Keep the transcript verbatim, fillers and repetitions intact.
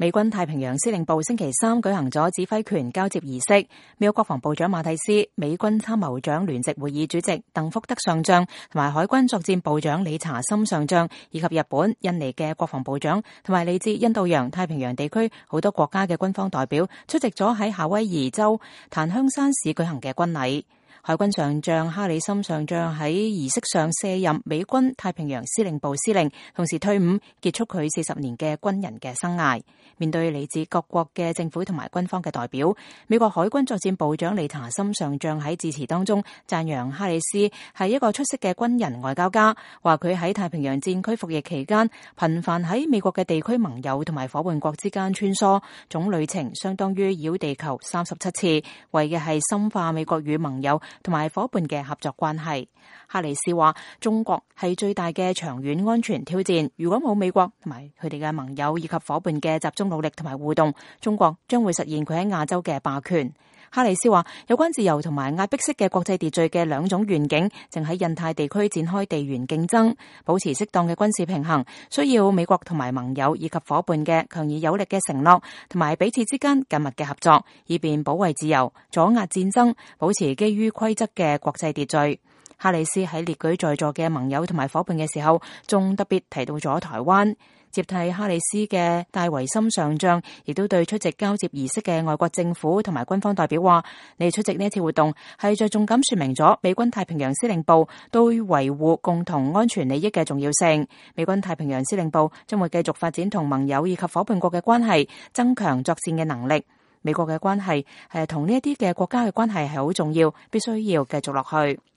美軍太平洋司令部星期三舉行咗指揮權交接儀式，美國國防部長馬蒂斯、美軍參謀長聯席會議主席鄧福德上將同埋海軍作戰部長理查森上將，以及日本、印尼嘅國防部長同埋嚟自印度洋太平洋地區好多國家嘅軍方代表出席咗喺夏威夷州檀香山市舉行嘅軍禮。海軍上將哈里森上將喺儀式上卸任美軍太平洋司令部司令，同時退伍，結束佢四十年嘅軍人嘅生涯。面對嚟自各國嘅政府同埋軍方嘅代表，美國海軍作戰部長理查森上將喺致辭當中讚揚哈里斯係一個出色嘅軍人外交家，話佢喺太平洋戰區服役期間頻繁喺美國嘅地區盟友同埋夥伴國之間穿梭，總旅程相當於繞地球三十七次，為嘅係深化美國與盟友同埋夥伴嘅合作關係。哈里斯話：中國係最大嘅長遠安全挑戰，如果冇美國同埋佢哋嘅盟友以及夥伴嘅集中努力同埋互動，中國將會實現佢喺亞洲嘅霸權。哈里斯話：有關自由同埋壓迫式嘅國際秩序嘅兩種願景，正喺印太地區展開地緣競爭，保持適當嘅軍事平衡，需要美國同埋盟友以及夥伴嘅強而有力嘅承諾，同埋彼此之間緊密嘅合作，以便保衛自由、阻壓戰爭，保持基於規則嘅國際秩序。哈里斯喺列舉在座嘅盟友同埋夥伴嘅時候，仲特別提到咗台灣。接替哈里斯嘅戴維森上將亦都對出席交接儀式嘅外國政府同埋軍方代表話：你哋出席呢一次活動係着重咁說明咗美軍太平洋司令部對維護共同安全利益嘅重要性。美軍太平洋司令部將會繼續發展同盟友以及夥伴國嘅關係，增強作戰嘅能力。美國嘅關係係同呢一啲嘅國家嘅關係係好重要，必須要繼續落去。